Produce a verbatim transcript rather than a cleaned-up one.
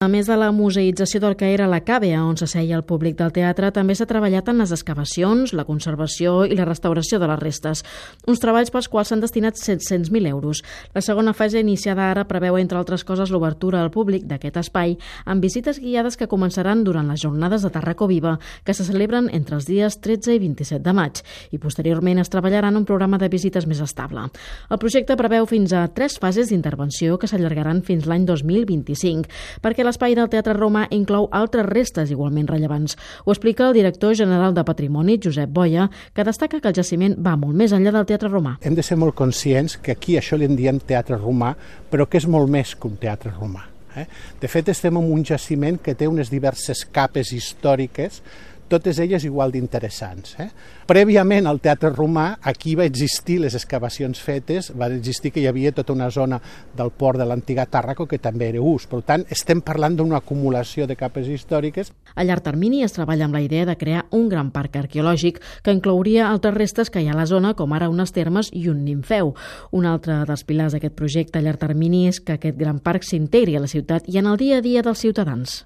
A més de la museïtzació del que era la càvea, on s'asseia el públic del teatre, també s'ha treballat en les excavacions, la conservació i la restauració de les restes. Uns treballs pels quals s'han destinat set-cents mil euros. La segona fase, iniciada ara, preveu, entre altres coses, l'obertura al públic d'aquest espai amb visites guiades que començaran durant les jornades de Tarraco Viva, que se celebren entre els dies tretze i vint-i-set de maig, i posteriorment es treballarà en un programa de visites més estable. El projecte preveu fins a tres fases d'intervenció que s'allargaran fins l'any dos mil vint-i-cinc, perquè l'espai del Teatre Romà inclou altres restes igualment rellevants. Ho explica el director general de Patrimoni, Josep Boia, que destaca que el jaciment va molt més enllà del Teatre Romà. Hem de ser molt conscients que aquí això li en diem Teatre Romà, però que és molt més que un teatre romà. Eh? De fet, estem en un jaciment que té unes diverses capes històriques, totes elles igual d'interessants. Eh? Prèviament al Teatre Romà, aquí va existir les excavacions fetes, va existir que hi havia tota una zona del port de l'antiga Tàrraco que també era ús. Per tant, estem parlant d'una acumulació de capes històriques. A llarg termini es treballa amb la idea de crear un gran parc arqueològic que inclouria altres restes que hi ha a la zona, com ara unes termes i un nimfeu. Un altre dels pilars d'aquest projecte a llarg termini és que aquest gran parc s'integri a la ciutat i en el dia a dia dels ciutadans.